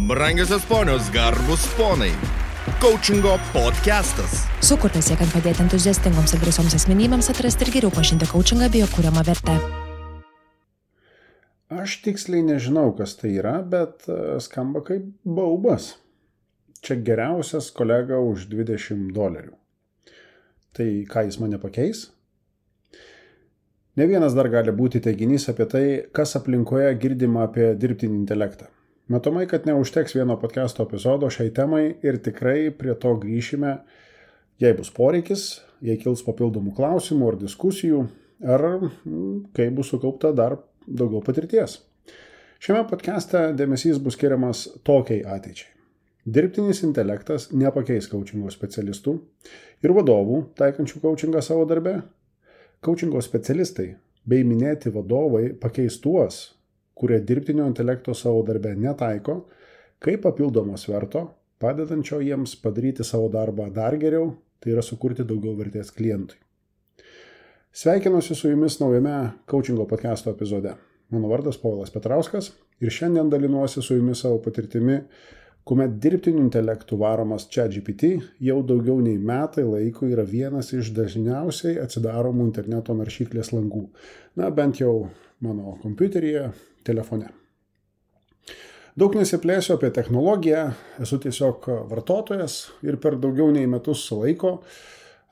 Brangiosios ponios, garbus ponai. Coachingo podcastas. Sukurtas siekiant padėti entuziastingoms ir drąsioms asmenybėms atrasti ir geriau pažinti coachingą bei jo kuriamą vertę. Aš tiksliai nežinau, kas tai yra, bet skamba kaip baubas. Čia geriausias kolega už $20. Tai ką jis mane pakeis? Ne vienas dar gali būti teiginys apie tai, kas aplinkoje girdima apie dirbtinį intelektą. Matomai, kad neužteks vieno podcasto epizodo šiai temai ir tikrai prie to grįšime, jei bus poreikis, jei kils papildomų klausimų ar diskusijų, ar kai bus sukaupta dar daugiau patirties. Šiame podcaste dėmesys bus skiriamas tokiai ateičiai. Dirbtinis intelektas nepakeis coachingo specialistų ir vadovų, taikančių coachingą savo darbe. Coachingo specialistai bei minėti vadovai pakeis tuos, kurie dirbtinio intelekto savo darbe netaiko, kaip papildomo sverto, padedančio jiems padaryti savo darbą dar geriau, tai yra sukurti daugiau vertės klientui. Sveikinuosi su jumis naujame coachingo podcasto epizode. Mano vardas Povilas Petrauskas ir šiandien dalinuosi su jumis savo patirtimi, kuomet dirbtiniu intelektu varomas ChatGPT jau daugiau nei metai laiko yra vienas iš dažniausiai atsidaromų interneto naršyklės langų. Na, bent jau mano kompiuteryje, telefone. Daug nesiplėsiu apie technologiją, esu tiesiog vartotojas ir per daugiau nei metus laiko,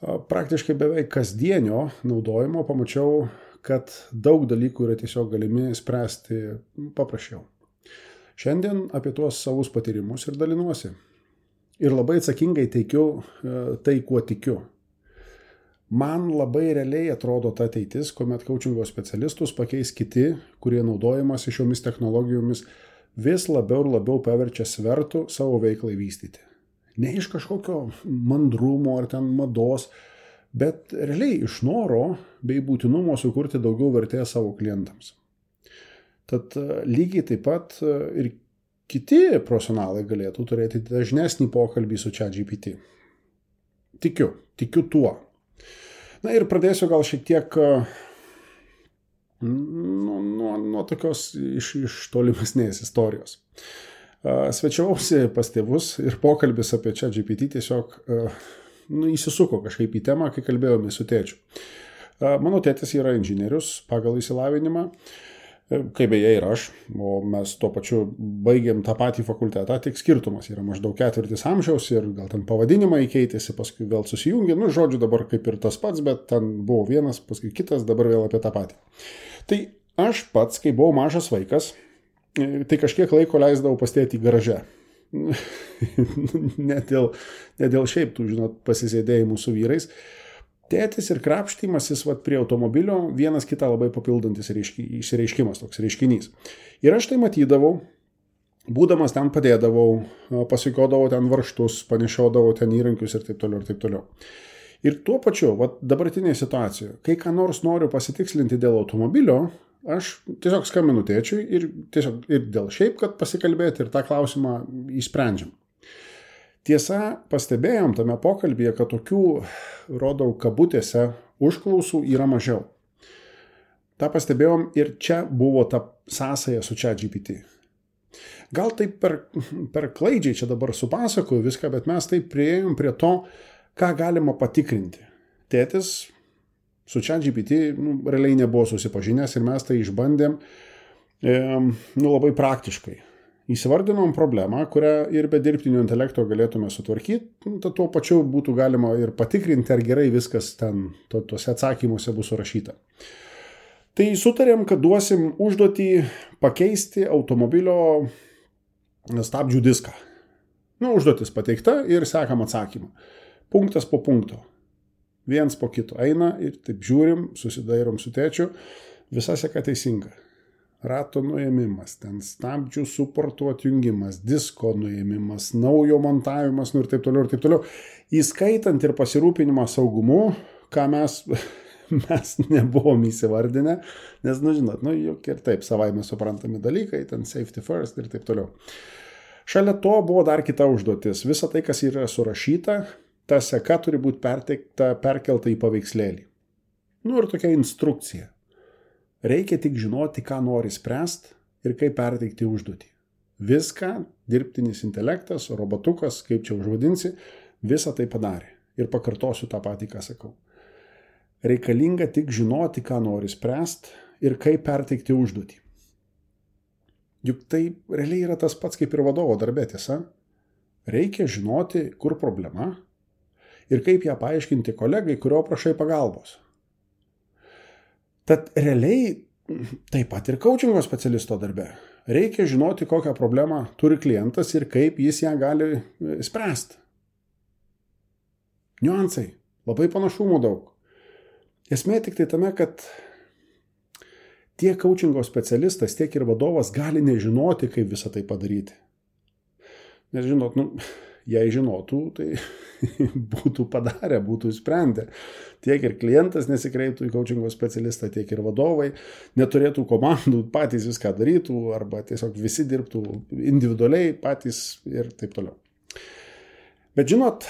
praktiškai beveik kasdienio naudojimo pamačiau, kad daug dalykų yra tiesiog galimi spręsti paprasčiau. Šiandien apie tuos savus patyrimus ir dalinuosi. Ir labai atsakingai teikiu tai, kuo tikiu. Man labai realiai atrodo ta ateitis, kuomet coachingo specialistus pakeis kiti, kurie naudojamasi šiomis technologijomis vis labiau ir labiau paverčia svertų savo veiklai vystyti. Ne iš kažkokio mandrumo ar ten mados, bet realiai iš noro bei būtinumo sukurti daugiau vertės savo klientams. Tad lygiai taip pat ir kiti profesionalai galėtų turėti dažnesnį pokalbį su ChatGPT. Tikiu tuo. Na ir pradėsiu gal šiek tiek nuo tokios iš tolimesnės istorijos. Svečiavausi pas tėvus ir pokalbis apie ChatGPT tiesiog įsisuko kažkaip į temą, kai kalbėjome su tėčiu. Mano tėtis yra inžinierius pagal išsilavinimą, kaip beje ir aš, o mes tuo pačiu baigėm tą patį fakultetą, tik skirtumas yra maždaug 4 amžiaus ir gal ten pavadinimai keitėsi, paskui vėl susijungė, žodžiu dabar kaip ir tas pats, bet ten buvo vienas, paskui kitas, dabar vėl apie tą patį. Tai aš pats, kai buvau mažas vaikas, tai kažkiek laiko leisdavau pas tėtį garaže. ne dėl šiaip tų, pasisėdėjimų su vyrais. Tėtis ir krapštymasis prie automobilio vienas kitą labai papildantis išsireiškimas, toks reiškinys. Ir aš tai matydavau, būdamas ten padėdavau, pasikodavau ten varžtus, panešiodavau ten įrankius ir taip toliau ir taip toliau. Ir tuo pačiu, dabartinėje situacijoje, kai ką nors noriu pasitikslinti dėl automobilio, aš tiesiog skambinu tėčiui ir dėl šiaip, kad pasikalbėti ir tą klausimą išsprendžiam. Tiesa, pastebėjom tame pokalbyje, kad tokių, rodau kabutėse, užklausų yra mažiau. Ta pastebėjom ir čia buvo ta sąsaja su ChatGPT. Gal taip per klaidžiai čia dabar supasakoju viską, bet mes taip priėjom prie to, ką galima patikrinti. Tėtis su ChatGPT realiai nebuvo susipažinęs ir mes tai išbandėm labai praktiškai. Įsivardinom problemą, kurią ir be dirbtinio intelekto galėtume sutvarkyti, tad tuo pačiu būtų galima ir patikrinti, ar gerai viskas ten tuose atsakymuose bus surašyta. Tai sutarėm, kad duosim užduotį pakeisti automobilio stabdžių diską. Užduotis pateikta ir sekam atsakymą. Punktas po punkto. Viens po kito eina ir taip žiūrim, susidairom su tėčiu, visa seka teisinga. Rato nuėmimas, ten stabdžių suportų atjungimas, disko nuėmimas, naujo montavimas ir taip toliau ir taip toliau. Įskaitant ir pasirūpinimą saugumu, ką mes nebuvom įsivardinę, nes, juk ir taip savaime suprantami dalykai, ten safety first ir taip toliau. Šalia to buvo dar kita užduotis. Visa tai, kas yra surašyta, ta seka turi būti perkelta į paveikslėlį. Ir tokia instrukcija. Reikia tik žinoti, ką nori spręsti ir kaip perteikti užduotį. Viską dirbtinis intelektas, robotukas, kaip čia užvadinsi, visą tai padarė. Ir pakartosiu tą patį, ką sakau. Reikalinga tik žinoti, ką nori spręsti ir kaip perteikti užduotį. Juk tai realiai yra tas pats kaip ir vadovo darbė, tiesa? Reikia žinoti, kur problema ir kaip ją paaiškinti kolegai, kurio prašai pagalbos. Tad realiai taip pat ir coachingo specialisto darbe. Reikia žinoti, kokią problemą turi klientas ir kaip jis ją gali spręsti. Niuansai, labai panašumų daug. Esmė tik tai tame, kad tiek coachingo specialistas, tiek ir vadovas gali nežinoti, kaip visą tai padaryti. Nes žinot, jei žinotų, tai būtų padarę, būtų sprendę. Tiek ir klientas nesikreiptų į coachingo specialistą, tiek ir vadovai neturėtų komandų, patys viską darytų, arba tiesiog visi dirbtų individualiai patys ir taip toliau. Bet žinot,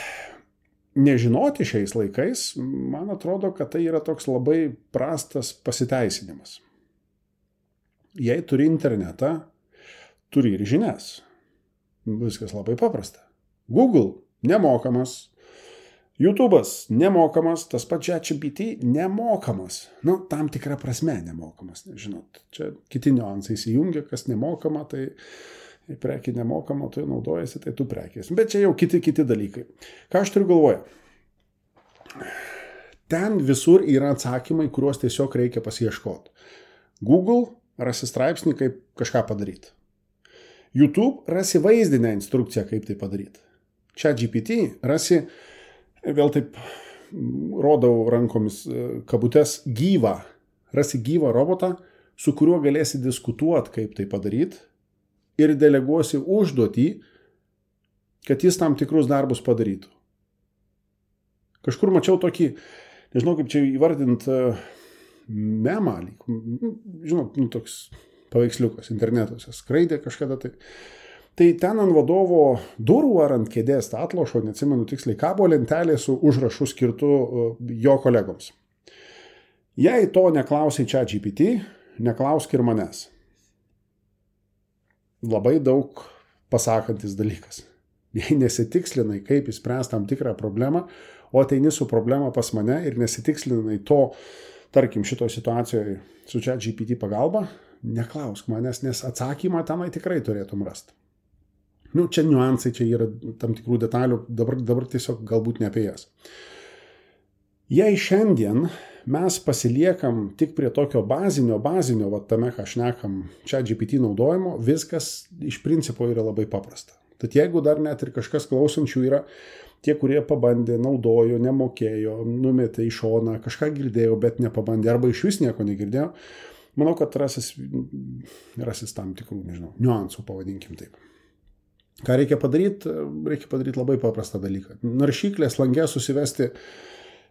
nežinoti šiais laikais, man atrodo, kad tai yra toks labai prastas pasiteisinimas. Jei turi internetą, turi ir žinias. Viskas labai paprasta. Google nemokamas, YouTube'as nemokamas, tas pats ChatGPT nemokamas. Tam tikra prasme nemokamas. Žinot, čia kiti niuansai įsijungia, kas nemokama, tai prekė nemokama, tu naudojasi, tai tu prekės. Bet čia jau kiti dalykai. Ką aš turiu galvoje? Ten visur yra atsakymai, kuriuos tiesiog reikia pasiieškoti. Google rasi straipsnį, kaip kažką padaryti. YouTube rasi vaizdinę instrukciją, kaip tai padaryti. ChatGPT rasi, vėl taip rodau rankomis kabutės, rasi gyvą robotą, su kuriuo galėsi diskutuoti, kaip tai padaryti, ir deleguosi užduotį, kad jis tam tikrus darbus padarytų. Kažkur mačiau tokį, nežinau kaip čia įvardinti, memą, žinot, toks paveiksliukas internetuose, skraidė kažkada tai. Tai ten ant vadovo durų ar ant kėdės atlošo, neatsimenu tiksliai, kabo lentelė su užrašu skirtu jo kolegoms. Jei to neklausai ChatGPT, neklausk ir manęs. Labai daug pasakantis dalykas. Jei nesitikslinai, kaip įspręsti tam tikrą problemą, o ateini su problema pas mane ir nesitikslinai to, tarkim, šito situacijoje su ChatGPT pagalba, neklausk manęs, nes atsakymą tenai tikrai turėtum rasti. Čia niuansai, čia yra tam tikrų detalių, dabar tiesiog galbūt ne apie jas. Jei šiandien mes pasiliekam tik prie tokio bazinio, tame, ką šnekam, ChatGPT naudojimo, viskas iš principo yra labai paprasta. Tad jeigu dar net ir kažkas klausančių yra tie, kurie pabandė, naudojo, nemokėjo, numetė į šoną, kažką girdėjo, bet nepabandė, arba iš vis nieko negirdėjo, manau, kad rasis tam tikrų, niuansų, pavadinkim taip. Ką reikia padaryti? Reikia padaryti labai paprastą dalyką. Naršyklės lange susivesti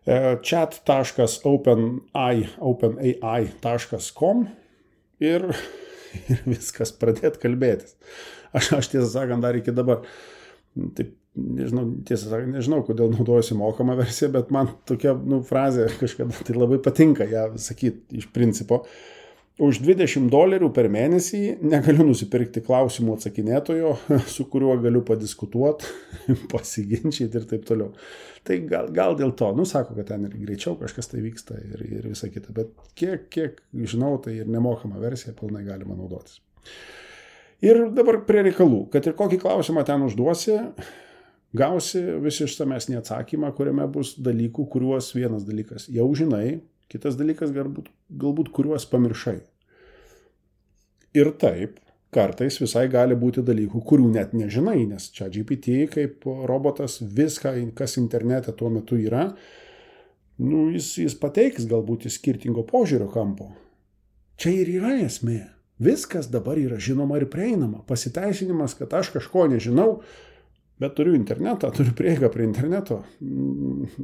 chat.openai.com ir viskas pradėti kalbėtis. Aš tiesą sakant, dar iki dabar, taip, nežinau, kodėl naudojusi mokamą versiją, bet man tokia frazė kažkada tai labai patinka ją sakyti iš principo. Už $20 per mėnesį negaliu nusipirkti klausimų atsakinėtojo, su kuriuo galiu padiskutuoti, pasiginčyti ir taip toliau. Tai gal dėl to, sako, kad ten ir greičiau kažkas tai vyksta ir visa kita, bet kiek žinau, tai ir nemokama versija pilnai galima naudotis. Ir dabar prie reikalų, kad ir kokį klausimą ten užduosi, gausi visi išsamesnį atsakymą, kuriame bus dalykų, kuriuos vienas dalykas jau žinai, kitas dalykas galbūt kuriuos pamiršai. Ir taip, kartais visai gali būti dalykų, kurių net nežinai, nes ChatGPT kaip robotas viską, kas internete tuo metu yra, jis pateiks galbūt iš skirtingo požiūrio kampo. Čia ir yra esmė. Viskas dabar yra žinoma ir prieinama. Pasiteisinimas, kad aš kažko nežinau, bet turiu internetą, turiu prieigą prie interneto,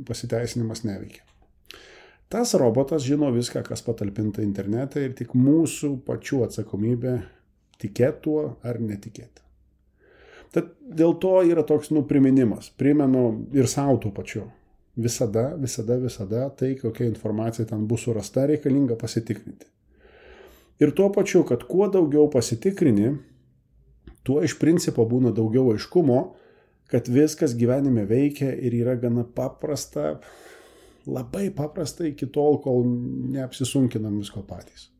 pasiteisinimas neveikia. Tas robotas žino viską, kas patalpinta internete ir tik mūsų pačių atsakomybė tikėti tuo ar netikėti. Tad dėl to yra toks priminimas. Primenu ir savo tuo pačiu. Visada tai, kokia informacija ten bus surasta, reikalinga pasitikrinti. Ir tuo pačiu, kad kuo daugiau pasitikrini, tuo iš principo būna daugiau aiškumo, kad viskas gyvenime veikia ir yra gana paprasta, labai paprasta iki tol, kol neapsisunkinam visko patys.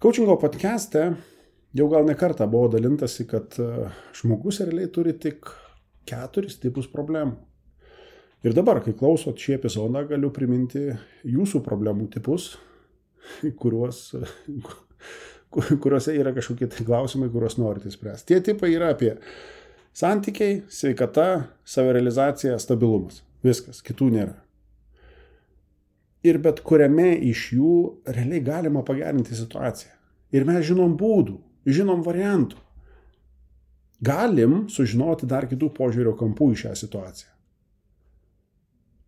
Coachingo podcast'e jau gal ne kartą buvo dalintasi, kad žmogus realiai turi tik 4 tipus problemų. Ir dabar, kai klausot šį epizodą, galiu priminti jūsų problemų tipus, kuriuose yra kažkokie klausimai, kuriuos norite spręsti. Tie tipai yra apie santykiai, sveikata, savirealizacija, stabilumas. Viskas, kitų nėra. Ir bet kuriame iš jų realiai galima pagerinti situaciją. Ir mes žinom būdų, žinom variantų. Galim sužinoti dar kitų požiūrio kampų į šią situaciją.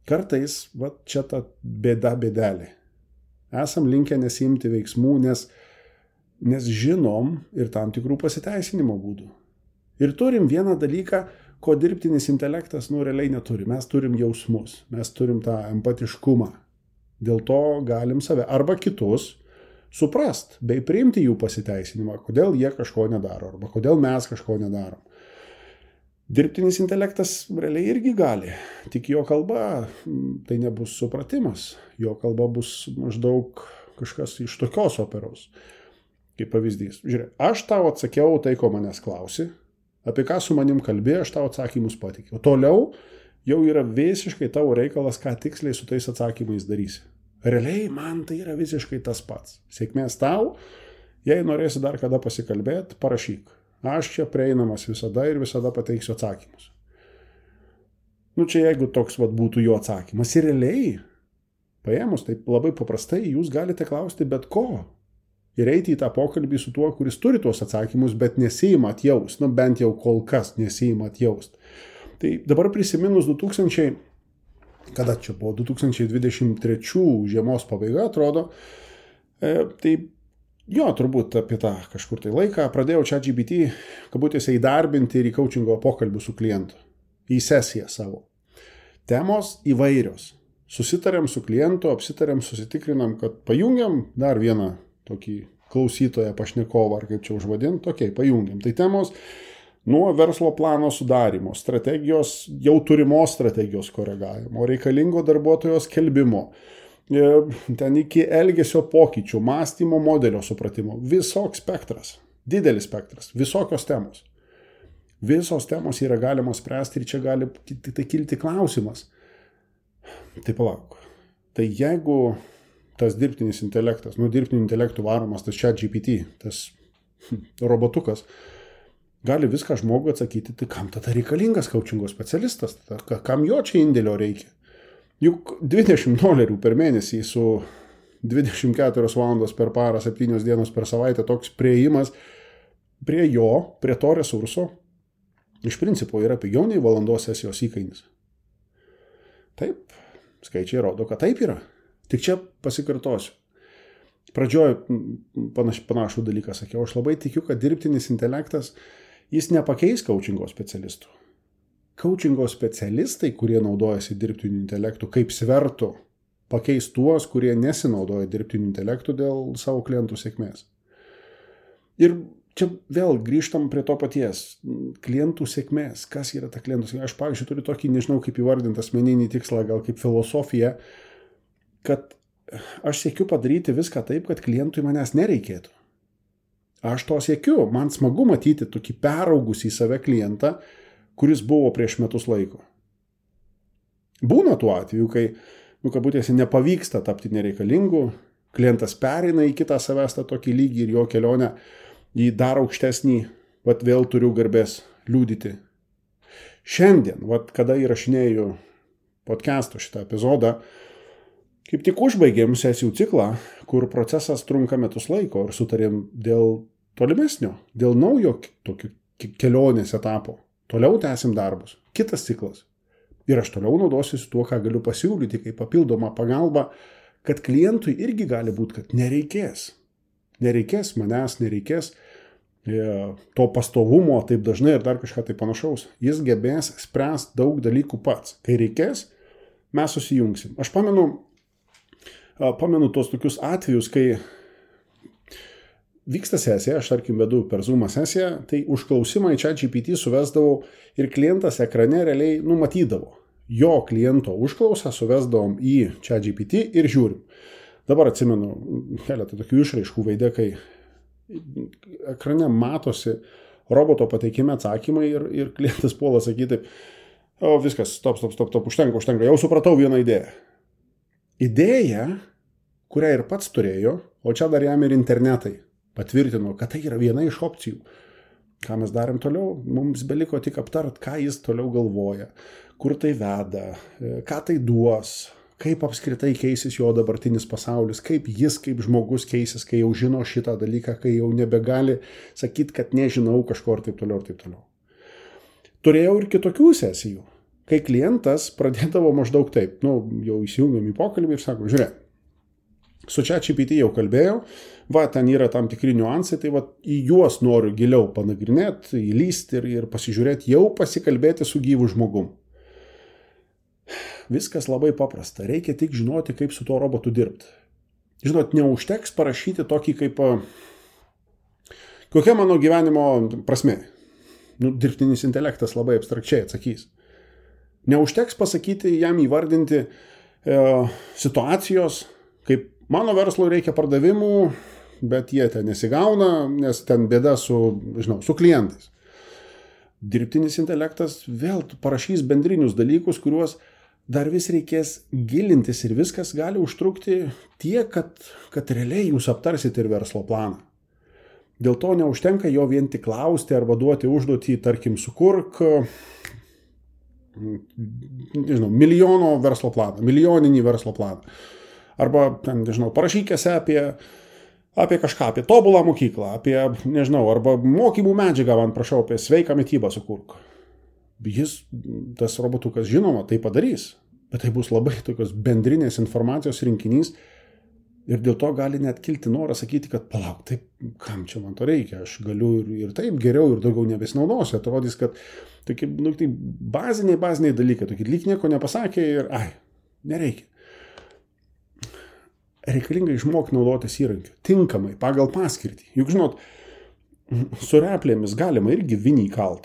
Kartais, čia ta bėdelė. Esam linkę nesiimti veiksmų, nes žinom ir tam tikrų pasiteisinimo būdų. Ir turim vieną dalyką, ko dirbtinis intelektas realiai neturi. Mes turim jausmus, mes turim tą empatiškumą. Dėl to galim save arba kitus suprast, bei priimti jų pasiteisinimą, kodėl jie kažko nedaro, arba kodėl mes kažko nedarom. Dirbtinis intelektas realiai irgi gali, tik jo kalba tai nebus supratimas, jo kalba bus maždaug kažkas iš tokios operos. Kaip pavyzdys. Žiūrėk, aš tau atsakiau tai, ko manęs klausi, apie ką su manim kalbėjai, aš tau atsakymus pateikiau. Toliau jau yra visiškai tavo reikalas, ką tiksliai su tais atsakymais darysi. Realiai man tai yra visiškai tas pats. Sėkmės tau, jei norėsi dar kada pasikalbėti, parašyk. Aš čia prieinamas visada ir visada pateiksiu atsakymus. Čia jeigu toks būtų jo atsakymas. Ir realiai, paėmus taip labai paprastai, jūs galite klausti bet ko. Ir eiti į tą pokalbį su tuo, kuris turi tuos atsakymus, bet nesiima atjaust. Bent jau kol kas nesiima atjaust. Tai dabar prisiminus 2023 žiemos pabaiga, atrodo, tai turbūt apie tą kažkur tai laiką pradėjau ChatGPT, kabutėse įdarbinti ir į coachingo pokalbių su klientu. Į sesiją savo. Temos įvairios. Susitarėm su klientu, apsitarėm, susitikrinam, kad pajungiam dar vieną tokį klausytoją, pašnekovą, ar kaip čia užvadinti, pajungiam. Tai temos nuo verslo plano sudarimo, strategijos, jau turimos strategijos koregavimo, reikalingo darbuotojo skelbimo, ten iki elgesio pokyčių, mąstymo modelio supratimo. Visoks spektras, didelis spektras, visokios temos. Visos temos yra galima spręsti ir čia gali tai kilti klausimas. Tai palauk. Tai jeigu tas dirbtinis intelektas, dirbtiniu intelektu varomas, tas ChatGPT, tas robotukas, gali viską žmogui atsakyti, tai kam tada reikalingas coachingo specialistas, kam jo čia indėlio reikia? Juk $20 per mėnesį su 24 valandos per parą, 7 dienos per savaitę toks prieimas prie to resurso, iš principo yra pigiau nei valandos sesijos įkainis. Taip, skaičiai rodo, kad taip yra. Tik čia pasikartosiu. Pradžioje panašų dalyką sakiau, aš labai tikiu, kad dirbtinis intelektas, jis nepakeis coachingo specialistų. Coachingo specialistai, kurie naudojasi dirbtiniu intelektu, kaip svertų, pakeis tuos, kurie nesinaudoja dirbtiniu intelektu dėl savo klientų sėkmės. Ir čia vėl grįžtam prie to paties. Klientų sėkmės. Kas yra ta klientų sėkmės? Aš, pavyzdžiui, turiu tokį, nežinau kaip įvardinti asmeninį tikslą, gal kaip filosofiją, kad aš siekiu padaryti viską taip, kad klientui manęs nereikėtų. Aš to siekiu. Man smagu matyti tokį peraugusį į save klientą, kuris buvo prieš metus laiko. Būna tuo atveju, kai, kabutėse, nepavyksta tapti nereikalingu, klientas pereina į kitą savęs tą tokį lygį ir jo kelionę į dar aukštesnį, vėl turiu garbės liudyti. Šiandien, kada įrašinėju podcast'o šitą epizodą, kaip tik užbaigėm sesijų ciklą, kur procesas trunka metus laiko ir sutarėm dėl tolimesnio, dėl naujo tokio kelionės etapo. Toliau tęsim darbus. Kitas ciklas. Ir aš toliau naudosiuosi tuo, ką galiu pasiūlyti kaip papildomą pagalbą, kad klientui irgi gali būti, kad nereikės. Nereikės manęs, nereikės to pastovumo taip dažnai ir dar kažką tai panašaus. Jis gebės spręsti daug dalykų pats. Kai reikės, mes susijungsim. Aš pamenu tos tokius atvejus, kai vyksta sesija, aš tarkim vedu per Zoom sesiją, tai užklausimą į ChatGPT suvesdavau ir klientas ekrane realiai numatydavo. Jo kliento užklausą suvesdavom į ChatGPT ir žiūrim. Dabar atsimenu keletą tokių išraiškų veide, kai ekrane matosi roboto pateikime atsakymai ir klientas puola sakyti, viskas, stop, užtenka, jau supratau vieną idėją. Idėja, kurią ir pats turėjo, o čia dar jam ir internetai patvirtino, kad tai yra viena iš opcijų. Ką mes darėm toliau? Mums beliko tik aptart, ką jis toliau galvoja, kur tai veda, ką tai duos, kaip apskritai keisis jo dabartinis pasaulis, kaip jis kaip žmogus keisis, kai jau žino šitą dalyką, kai jau nebegali sakyti, kad nežinau kažko ir taip toliau ir taip toliau. Turėjau ir kitokių sesijų, kai klientas pradėdavo maždaug taip, jau įsijungiam į pokalbį ir sako, žiūrėk, su ChatGPT jau kalbėjau, ten yra tam tikri niuansai, tai į juos noriu giliau panagrinėti, įlysti ir pasižiūrėti, jau pasikalbėti su gyvu žmogum. Viskas labai paprasta, reikia tik žinoti, kaip su tuo robotu dirbti. Žinot, neužteks parašyti tokį kaip, kokia mano gyvenimo prasmė. Dirbtinis intelektas labai abstrakčiai atsakys. Neužteks pasakyti, jam įvardinti situacijos, kaip mano verslui reikia pardavimų, bet jie ten nesigauna, nes ten bėda su klientais. Dirbtinis intelektas vėl parašys bendrinius dalykus, kuriuos dar vis reikės gilintis ir viskas gali užtrukti tiek, kad realiai jūs aptarsit ir verslo planą. Dėl to neužtenka jo vien tik klausti arba duoti užduotį, tarkim, sukurk milijoninį verslo planą. Arba, parašyk esę apie kažką, apie tobulą mokyklą, arba mokymų medžiagą, prašau, apie sveiką mitybą sukurk. Tas robotukas, žinoma, tai padarys, bet tai bus labai tokios bendrinės informacijos rinkinys ir dėl to gali net kilti noras sakyti, kad palauk, taip, kam čia man to reikia, aš galiu ir taip geriau ir daugiau nebesinaudosiu, atrodys, kad tokie baziniai dalykai, tokie lyg nieko nepasakė ir nereikia. Reikalinga išmokti naudotis įrankiu, tinkamai, pagal paskirtį. Juk, žinot, su replėmis galima irgi vinį kalt,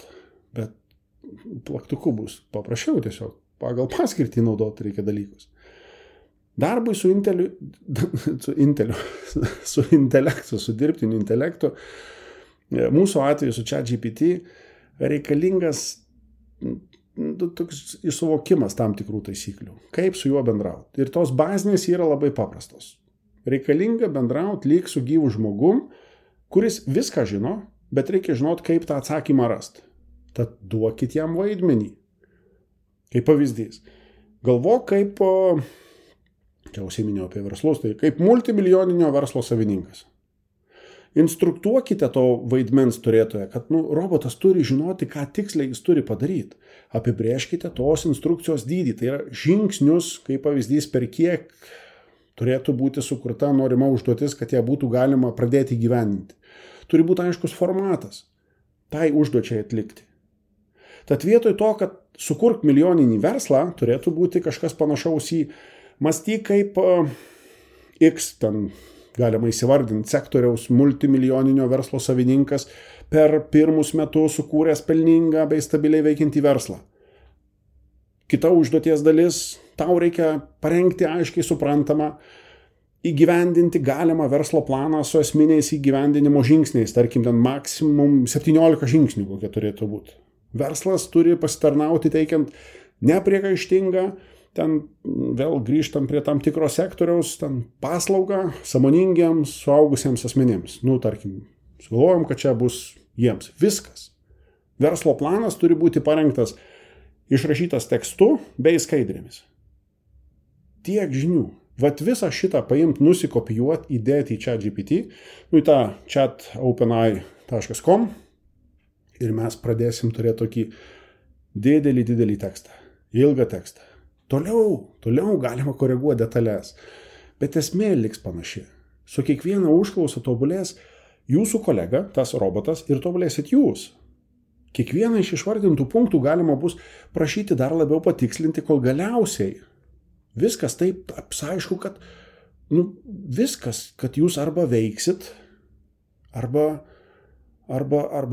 bet plaktuku bus paprasčiau tiesiog, pagal paskirtį naudoti reikia dalykus. Darbui su intelektu, su dirbtiniu intelektu, mūsų atveju su ChatGPT reikalingas toks suvokimas tam tikrų taisyklių, kaip su juo bendrauti. Ir tos bazinės yra labai paprastos. Reikalinga bendrauti lyg su gyvu žmogum, kuris viską žino, bet reikia žinoti, kaip tą atsakymą rasti. Tad duokit jam vaidmenį. Kaip pavyzdys. Galvok kaip, čia užsiminėjau apie verslus, tai kaip multimilijoninio verslo savininkas. Instruktuokite to vaidmens turėtoje, kad robotas turi žinoti, ką tiksliai jis turi padaryti. Apibrėžkite tos instrukcijos dydį, tai yra žingsnius, kaip pavyzdys, per kiek turėtų būti sukurta norima užduotis, kad ją būtų galima pradėti įgyvendinti. Turi būti aiškus formatas, tai užduočiai atlikti. Tad vietoj to, kad sukurk milijoninį verslą, turėtų būti kažkas panašaus į mąstyk kaip X, ten galima įsivardinti sektoriaus multimilijoninio verslo savininkas per pirmus metus sukūręs pelningą bei stabiliai veikiantį verslą. Kita užduoties dalis, tau reikia parengti aiškiai suprantamą, įgyvendinti galimą verslo planą su esminiais įgyvendinimo žingsniais, tarkim, ten maksimum 17 žingsnių kokie turėtų būti. Verslas turi pasitarnauti teikiant nepriekaištingą, ten vėl grįžtam prie tam tikro sektoriaus, ten paslaugą sąmoningiams suaugusiems asmenėms. Tarkim, sugalvojom, kad čia bus jiems. Viskas. Verslo planas turi būti parengtas, išrašytas tekstu bei skaidrėmis. Tiek žinių. Visą šitą paimti, nusikopijuoti, įdėti į ChatGPT, į tą chat.openai.com ir mes pradėsim turėti tokį didelį tekstą, ilgą tekstą. Toliau galima koreguoti detalės, bet esmė liks panaši. Su kiekviena užklausa tobulės jūsų kolega, tas robotas, ir tobulėsit jūs. Kiekvieną iš išvardintų punktų galima bus prašyti dar labiau patikslinti, kol galiausiai viskas taip apsaišku, kad viskas, kad jūs arba veiksit, Arba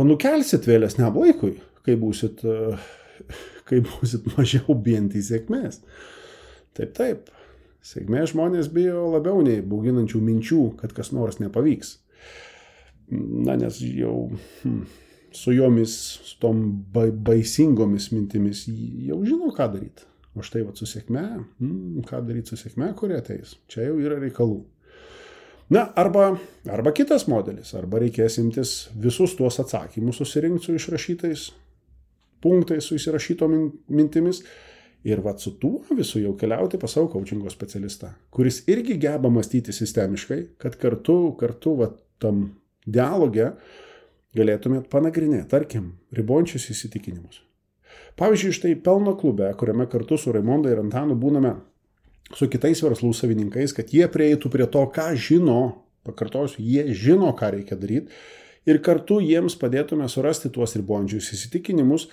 nukelsit vėlesniam laikui, kai būsit mažiau bijantys sėkmės. Taip. Sėkmės žmonės bijo labiau nei bauginančių minčių, kad kas nors nepavyks. Nes jau su jomis, su tom baisingomis mintimis jau žino, ką daryti. O štai su sėkme, ką daryti su sėkme, kurie ateis. Čia jau yra reikalų. Arba kitas modelis, arba reikės imtis visus tuos atsakymus susirinkti su išrašytais punktais, su įsirašyto mintimis ir su tuo visu jau keliauti pas savo coachingo specialistą, kuris irgi geba mąstyti sistemiškai, kad kartu tam dialoge galėtumėt panagrinėti, tarkim, ribojančius įsitikinimus. Pavyzdžiui, štai pelno klube, kuriame kartu su Raimonda ir Antanu būname su kitais verslų savininkais, kad jie prieitų prie to, ką žino, pakartosiu, jie žino, ką reikia daryti, ir kartu jiems padėtume surasti tuos ribojančius įsitikinimus,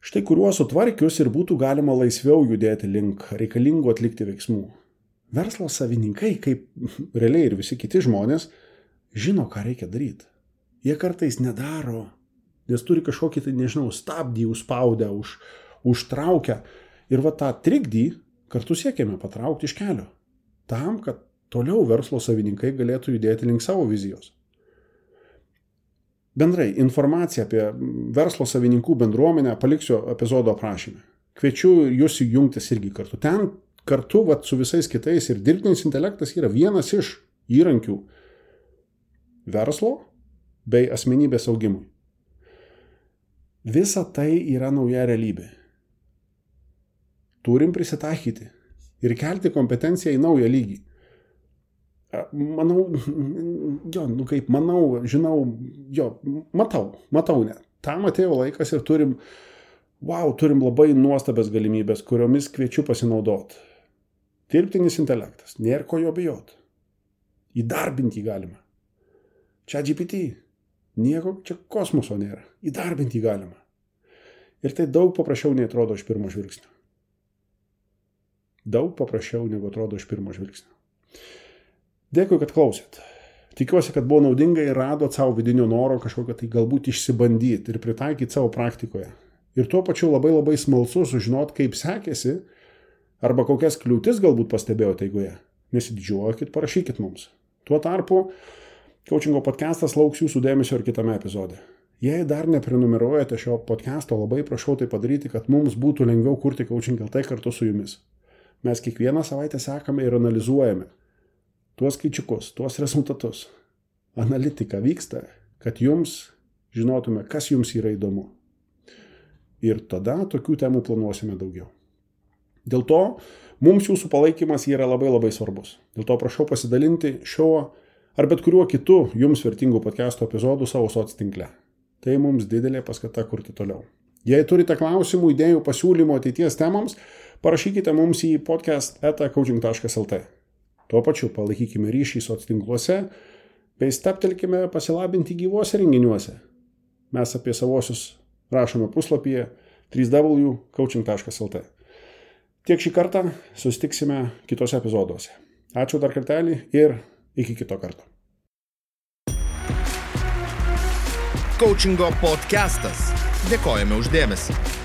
štai kuriuos sutvarkius ir būtų galima laisviau judėti link reikalingų atlikti veiksmų. Verslo savininkai, kaip realiai ir visi kiti žmonės, žino, ką reikia daryti. Jie kartais nedaro, nes turi kažkokį, stabdį užspaudę, užtraukę. Ir tą trikdį kartu siekiame patraukti iš kelio. Tam, kad toliau verslo savininkai galėtų judėti link savo vizijos. Bendrai, informaciją apie verslo savininkų bendruomenę paliksiu epizodo aprašyme. Kviečiu jūs jungtis irgi kartu. Ten kartu su visais kitais ir dirbtinis intelektas yra vienas iš įrankių verslo bei asmenybės augimui. Visa tai yra nauja realybė. Turim prisitaikyti ir kelti kompetenciją į naują lygį. Matau ne. Tam atėjo laikas ir turim labai nuostabias galimybės, kuriomis kviečiu pasinaudoti. Dirbtinis intelektas, nėra ko jo bijot. Įdarbinti galima. ChatGPT, nieko čia kosmoso nėra. Įdarbinti galima. Ir tai daug paprasčiau nei atrodo iš pirmo žvilgsnio. Dėkui, kad klausėt. Tikiuosi, kad buvo naudinga ir radot savo vidinio noro kažkokią tai galbūt išsibandyti ir pritaikyti savo praktikoje. Ir tuo pačiu labai smalsu sužinot, kaip sekėsi, arba kokias kliūtis galbūt pastebėjote eigoje. Nesididžiuokit, parašykit mums. Tuo tarpu, coachingo podcastas lauks jūsų dėmesio ir kitame epizode. Jei dar neprenumeruojate šio podcasto, labai prašau tai padaryti, kad mums būtų lengviau kurti Coaching LT kartu su jumis. Mes kiekvieną savaitę sekame ir analizuojame tuos skaičiukus, tuos rezultatus. Analitika vyksta, kad jums žinotume, kas jums yra įdomu. Ir tada tokių temų planuosime daugiau. Dėl to mums jūsų palaikymas yra labai svarbus. Dėl to prašau pasidalinti šiuo ar bet kuriuo kitu jums vertingų podcast'o epizodų savo soctinkle. Tai mums didelė paskata kurti toliau. Jei turite klausimų, idėjų, pasiūlymų ateities temams, parašykite mums į podcast@coaching.lt. Tuo pačiu palaikykime ryšį soctinkluose bei steptelkime pasilabinti gyvuose renginiuose. Mes apie savosius rašome puslapyje www.coaching.lt. Tiek šį kartą, susitiksime kitose epizoduose. Ačiū dar kartelį ir iki kito karto. Coachingo podcastas. Dėkojame už dėmesį.